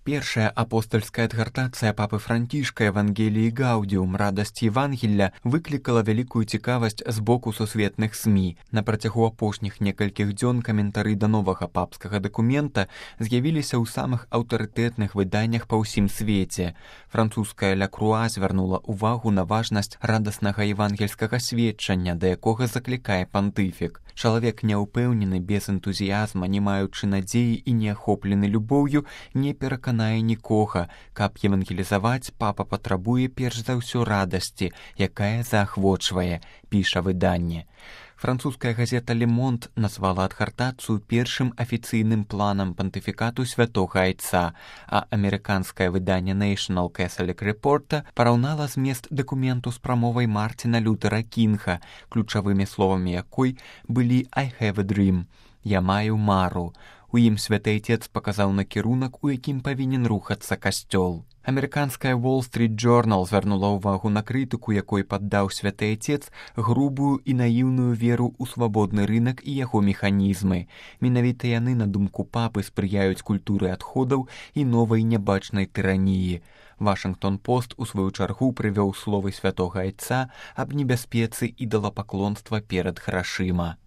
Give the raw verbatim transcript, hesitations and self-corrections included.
Першая апостальская адгартацыя папы Францішка «Евангеліі Гаудіум. Радасць Євангелля» выклікала вялікую цікавасць з боку сусветных СМІ. На працягу апошніх некалькіх дзён каментары да новага папскага дакумента з'явіліся ў самых аўтарытэтных выданнях па ўсім свеце. Французская «Ля Круа» звярнула ўвагу на важнасць радаснага евангельскага сведчання, да якога заклікае пантыфік. Чалавек няўпэўнены, без энтузіязма, не маючы надзеі і не ахоплены любоўю, не пераканае нікога. Каб евангелізаваць, папа патрабуе перш за ўсё радасці, якая заахвочвае, піша выданне. Французская газета «Ле Монт» назвала адгартацыю першым афіцыйным планам пантыфікату святога айца, а амерыканскае выданне National Catholic Report параўнала змест дакументу з прамовай Мартина Лютэра Кінга, ключавымі словамі якой былі «I have a dream» – «Я маю мару». У ім святы айцец паказаў накірунак, у якім павінен рухацца касцёл. Амерыканская Wall Street Journal звярнула ўвагу на крытыку, якой паддаў святы айцец грубую і наіўную веру ў свабодны рынак і яго механізмы. Менавіта яны, на думку папы, спрыяюць культуры адходаў і новай нябачнай тыраніі. Вашынгтон-Пост у сваю чаргу прывёў словы святога айца аб небяспецы ідалапаклонства перад грашыма.